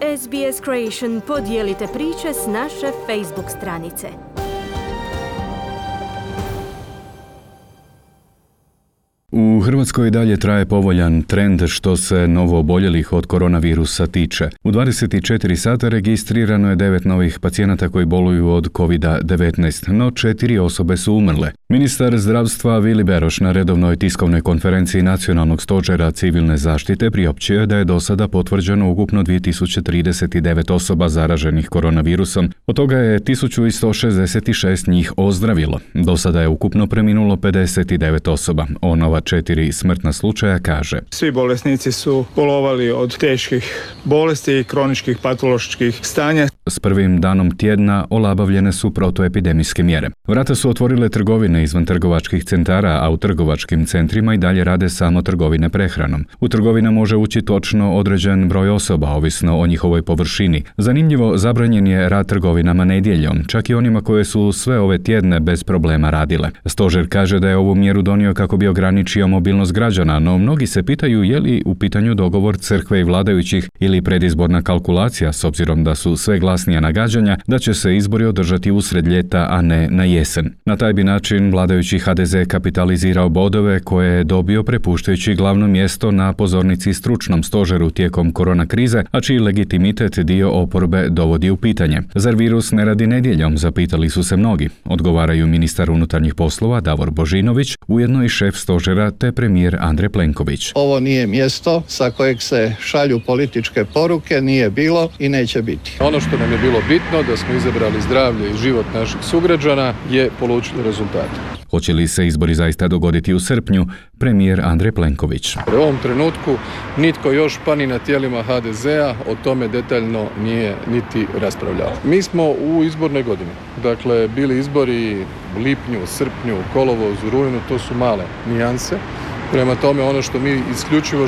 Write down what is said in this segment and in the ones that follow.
SBS Creation podijelite priče s naše Facebook stranice. U Hrvatskoj dalje traje povoljan trend što se novooboljelih od koronavirusa tiče. U 24 sata registrirano je 9 novih pacijenata koji boluju od COVID-19, no 4 osobe su umrle. Ministar zdravstva Vili Beroš na redovnoj tiskovnoj konferenciji Nacionalnog stožera civilne zaštite priopćio je da je do sada potvrđeno ukupno 2039 osoba zaraženih koronavirusom, od toga je 1166 njih ozdravilo. Do sada je ukupno preminulo 59 osoba. O nova 4 smrtna slučaja kaže: Svi bolesnici su bolovali od teških bolesti i kroničkih patoloških stanja. S prvim danom tjedna olabavljene su protuepidemijske mjere. Vrata su otvorile trgovine izvan trgovačkih centara, a u trgovačkim centrima i dalje rade samo trgovine prehranom. U trgovina može ući točno određen broj osoba, ovisno o njihovoj površini. Zanimljivo, zabranjen je rad trgovinama nedjeljom, čak i onima koje su sve ove tjedne bez problema radile. Stožer kaže da je ovu mjeru donio kako bi ograničio mobilnost građana, no mnogi se pitaju je li u pitanju dogovor crkve i vladajućih ili predizborna kalkulacija, s obzirom da su sve glasnija nagađanja da će se izbori održati usred ljeta, a ne na jesen. Na taj bi način vladajući HDZ kapitalizirao bodove koje je dobio prepuštajući glavno mjesto na pozornici stručnom stožeru tijekom korona krize, a čiji legitimitet dio oporbe dovodi u pitanje. Zar virus ne radi nedjeljom, zapitali su se mnogi. Odgovaraju ministar unutarnjih poslova Davor Božinović, ujedno i šef stožera te premijer Andrej Plenković. Ovo nije mjesto sa kojeg se šalju političke poruke, nije bilo i neće biti. Ono što nam je bilo bitno, da smo izabrali zdravlje i život naših sugrađana, je polučilo rezultate. Hoće li se izbori zaista dogoditi u srpnju, premijer Andrej Plenković? U ovom trenutku nitko još pa ni na tijelima HDZ-a o tome detaljno nije niti raspravljao. Mi smo u izbornoj godini. Dakle, bili izbori u lipnju, srpnju, kolovozu, rujnu, to su male nijanse. Prema tome, ono što mi isključivo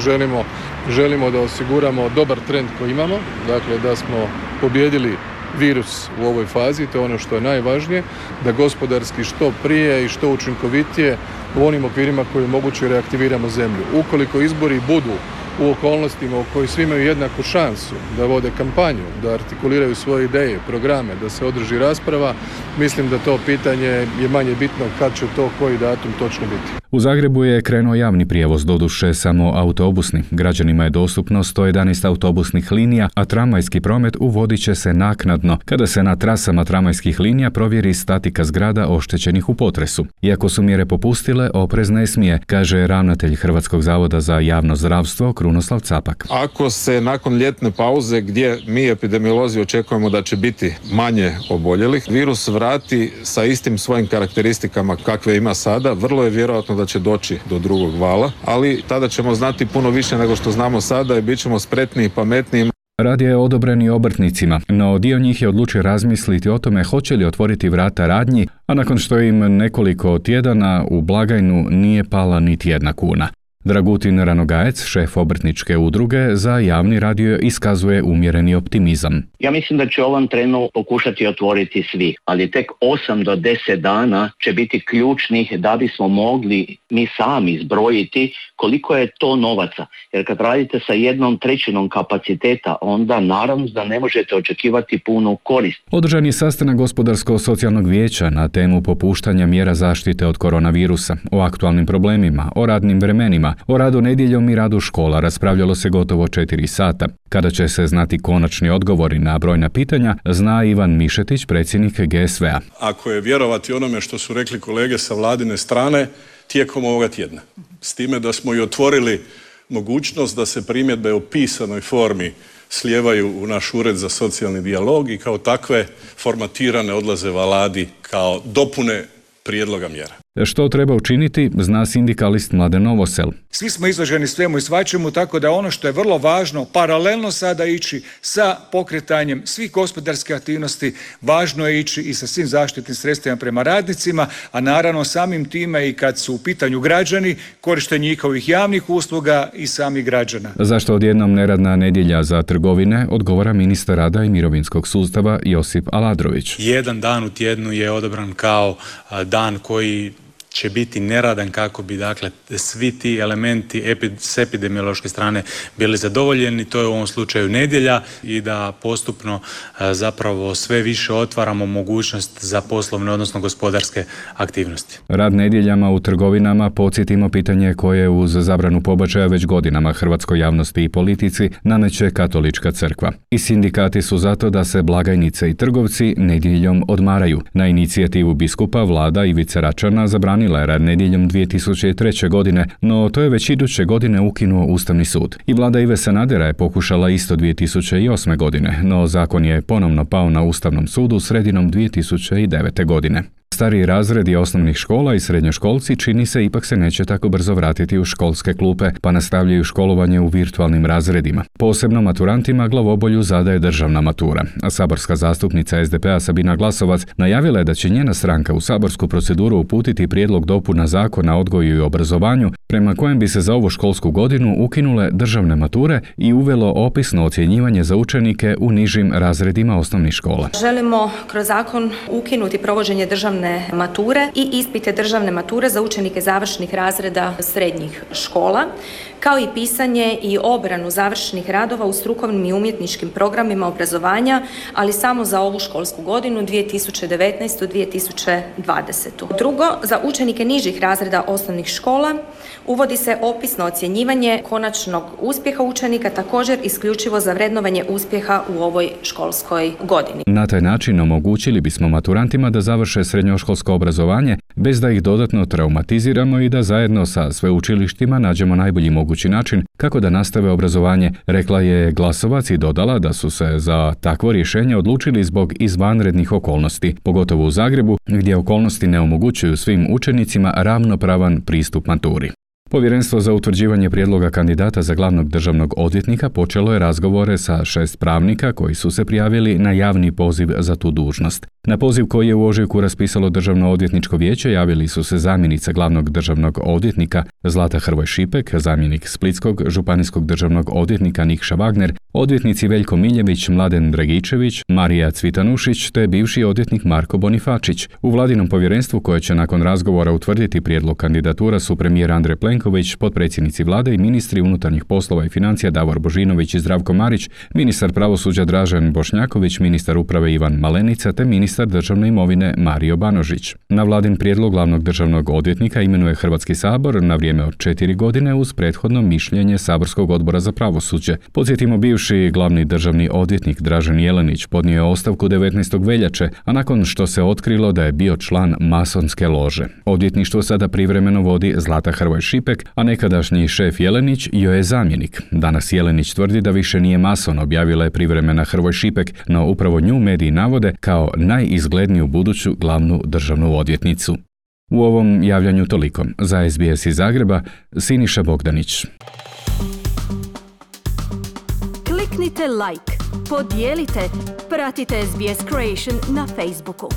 želimo da osiguramo dobar trend koji imamo, dakle da smo pobijedili virus u ovoj fazi, to je ono što je najvažnije, da gospodarski što prije i što učinkovitije u onim okvirima koji je moguće reaktiviramo zemlju. Ukoliko izbori budu u okolnostima u kojoj svi imaju jednaku šansu da vode kampanju, da artikuliraju svoje ideje, programe, da se održi rasprava, mislim da to pitanje je manje bitno kad će to koji datum točno biti. U Zagrebu je krenuo javni prijevoz, doduše samo autobusni. Građanima je dostupno 111 autobusnih linija, a tramvajski promet uvodit će se naknadno, kada se na trasama tramvajskih linija provjeri statika zgrada oštećenih u potresu. Iako su mjere popustile, oprez ne smije, kaže ravnatelj Hrvatskog zavoda za javno zdravstvo Krunoslav Capak. Ako se nakon ljetne pauze, gdje mi epidemiolozi očekujemo da će biti manje oboljelih, virus vrati sa istim svojim karakteristikama kakve ima sada, vrlo je vjerojatno da će doći do drugog vala, ali tada ćemo znati puno više nego što znamo sada i bit ćemo spretniji i pametniji. Rad je odobren i obrtnicima, no dio njih je odlučio razmisliti o tome hoće li otvoriti vrata radnji, a nakon što im nekoliko tjedana u blagajnu nije pala niti jedna kuna. Dragutin Ranogajec, šef obrtničke udruge, za javni radio iskazuje umjereni optimizam. Ja mislim da će ovom trenu pokušati otvoriti svi, ali tek 8 do 10 dana će biti ključnih da bismo mogli mi sami zbrojiti koliko je to novaca. Jer kad radite sa 1/3 kapaciteta, onda naravno da ne možete očekivati punu korist. Održan je sastanak Gospodarsko-socijalnog vijeća na temu popuštanja mjera zaštite od koronavirusa, o aktualnim problemima, o radnim vremenima, o radu nedjeljom i radu škola raspravljalo se gotovo 4 sata. Kada će se znati konačni odgovori na brojna pitanja, zna Ivan Mišetić, predsjednik GSV-a. Ako je vjerovati onome što su rekli kolege sa vladine strane, tijekom ovoga tjedna. S time da smo i otvorili mogućnost da se primjedbe u pisanoj formi slijevaju u naš ured za socijalni dijalog i kao takve formatirane odlaze Vladi kao dopune prijedloga mjera. Što treba učiniti, zna sindikalist Mladen Novosel. Svi smo izloženi svemu i svačemu, tako da ono što je vrlo važno, paralelno sada ići sa pokretanjem svih gospodarskih aktivnosti, važno je ići i sa svim zaštitnim sredstvima prema radnicima, a naravno samim time i kad su u pitanju građani, korištenje njihovih javnih usluga i samih građana. Zašto odjednom neradna nedjelja za trgovine, odgovara ministar rada i mirovinskog sustava Josip Aladrović. Jedan dan u tjednu je odabran kao dan koji će biti neradan kako bi dakle svi ti elementi s epidemiološke strane bili zadovoljeni. To je u ovom slučaju nedjelja i da postupno zapravo sve više otvaramo mogućnost za poslovne, odnosno gospodarske aktivnosti. Rad nedjeljama u trgovinama, podsjetimo, pitanje koje uz zabranu pobačaja već godinama hrvatskoj javnosti i politici nameće Katolička crkva. I sindikati su zato da se blagajnice i trgovci nedjeljom odmaraju. Na inicijativu biskupa vlada Ivice Račana zabranila je rad nedjeljom 2003. godine, no to je već iduće godine ukinuo Ustavni sud. I vlada Ive Sanadera je pokušala isto 2008. godine, no zakon je ponovno pao na Ustavnom sudu sredinom 2009. godine. Stariji razredi osnovnih škola i srednjoškolci čini se ipak se neće tako brzo vratiti u školske klupe, pa nastavljaju školovanje u virtualnim razredima. Posebno maturantima glavobolju zadaje državna matura, a saborska zastupnica SDP-a Sabina Glasovac najavila je da će njena stranka u saborsku proceduru uputiti prijedlog dopuna Zakona o odgoju i obrazovanju, prema kojem bi se za ovu školsku godinu ukinule državne mature i uvelo opisno ocjenjivanje za učenike u nižim razredima osnovnih škola. Želimo kroz zakon ukinuti provođenje državne mature i ispite državne mature za učenike završnih razreda srednjih škola, kao i pisanje i obranu završnih radova u strukovnim i umjetničkim programima obrazovanja, ali samo za ovu školsku godinu 2019-2020. Drugo, za učenike nižih razreda osnovnih škola uvodi se opisno ocjenjivanje konačnog uspjeha učenika, također isključivo za vrednovanje uspjeha u ovoj školskoj godini. Na taj način omogućili bismo maturantima da završe srednjoškolsko obrazovanje bez da ih dodatno traumatiziramo i da zajedno sa sveučilištima nađemo najbolji mogući način kako da nastave obrazovanje, rekla je Glasovac i dodala da su se za takvo rješenje odlučili zbog izvanrednih okolnosti, pogotovo u Zagrebu gdje okolnosti ne omogućuju svim učenicima ravnopravan pristup maturi. Povjerenstvo za utvrđivanje prijedloga kandidata za glavnog državnog odvjetnika počelo je razgovore sa 6 pravnika koji su se prijavili na javni poziv za tu dužnost. Na poziv koji je u ožujku raspisalo Državno odvjetničko vijeće javili su se zamjenica glavnog državnog odvjetnika Zlata Hrvoj Šipek, zamjenik splitskog županijskog državnog odvjetnika Nikša Wagner, odvjetnici Veljko Miljević, Mladen Dragičević, Marija Cvitanušić te bivši odvjetnik Marko Bonifačić. U vladinom povjerenstvu koje će nakon razgovora utvrditi prijedlog kandidatura su premijer Andrej Plenković, potpredsjednici vlade i ministri unutarnjih poslova i financija Davor Božinović i Zdravko Marić, ministar pravosuđa Dražen Bošnjaković, ministar uprave Ivan Malenica te ministar državne imovine Mario Banožić. Na vladin prijedlog glavnog državnog odvjetnika imenuje Hrvatski sabor na vrijeme od 4 godine uz prethodno mišljenje Saborskog odbora za pravosuđe. Podsjetimo, bivši glavni državni odvjetnik Dražen Jelenić podnio je ostavku 19. veljače, a nakon što se otkrilo da je bio član masonske lože. Odvjetništvo sada privremeno vodi Zlata Hrvoj Šipek, a nekadašnji šef Jelenić joj je zamjenik. Danas Jelenić tvrdi da više nije mason, objavila je privremena Hrvoj Šipek, no upravo nju mediji navode kao najizgledniju buduću glavnu državnu odvjetnicu. U ovom javljanju toliko. Za SBS iz Zagreba, Siniša Bogdanić. Kliknite like, podijelite, pratite SBS Creation na Facebooku.